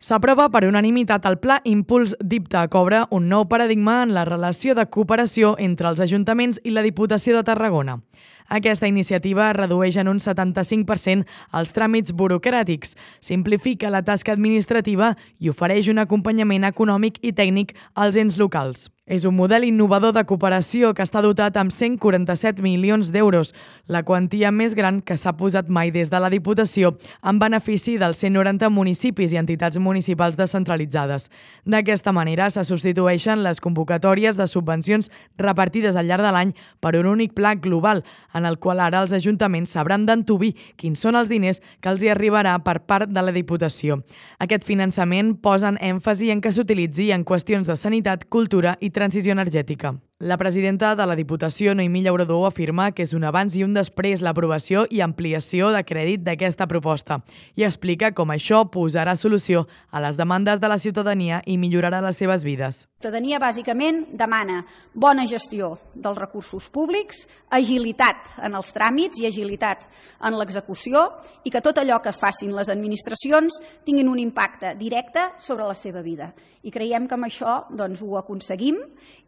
S'aprova per unanimitat el Pla Impuls d'IPTA, que obre un nou paradigma en la relació de cooperació entre els ajuntaments i la Diputació de Tarragona. Aquesta iniciativa redueix en un 75% els tràmits burocràtics, simplifica la tasca administrativa i ofereix un acompanyament econòmic i tècnic als ens locals. És un model innovador de cooperació que està dotat amb 147 milions d'euros, la quantia més gran que s'ha posat mai des de la Diputació en benefici dels 190 municipis i entitats municipals descentralitzades. D'aquesta manera se substitueixen les convocatòries de subvencions repartides al llarg de l'any per un únic pla global, en el qual ara els ajuntaments sabran d'antuvi quins són els diners que els hi arribarà per part de la Diputació. Aquest finançament posa èmfasi en que s'utilitzi en qüestions de sanitat, cultura i transició energètica. La presidenta de la Diputació, Noemí Llauradó, afirma que és un abans i un després l'aprovació i ampliació de crèdit d'aquesta proposta i explica com això posarà solució a les demandes de la ciutadania i millorarà les seves vides. La ciutadania bàsicament demana bona gestió dels recursos públics, agilitat en els tràmits i agilitat en l'execució i que tot allò que facin les administracions tinguin un impacte directe sobre la seva vida. I creiem que amb això ho aconseguim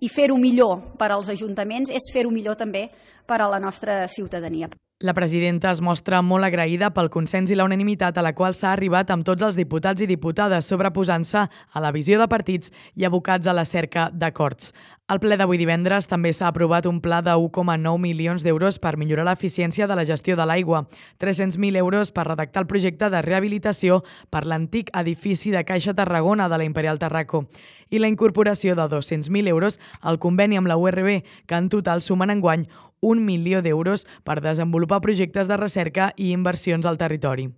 i fer-ho millor per als ajuntaments és fer-ho millor també per a la nostra ciutadania. La presidenta es mostra molt agraïda pel consens i la unanimitat a la qual s'ha arribat amb tots els diputats i diputades, sobreposant-se a la visió de partits i abocats a la cerca d'acords. Al ple d'avui divendres també s'ha aprovat un pla de 1,9 milions d'euros per millorar l'eficiència de la gestió de l'aigua, 300.000 euros per redactar el projecte de rehabilitació per l'antic edifici de Caixa Tarragona de la Imperial Tarraco i la incorporació de 200.000 euros al conveni amb la URB, que en total sumen enguany 1 milió d'euros per desenvolupar projectes de recerca i inversions al territori.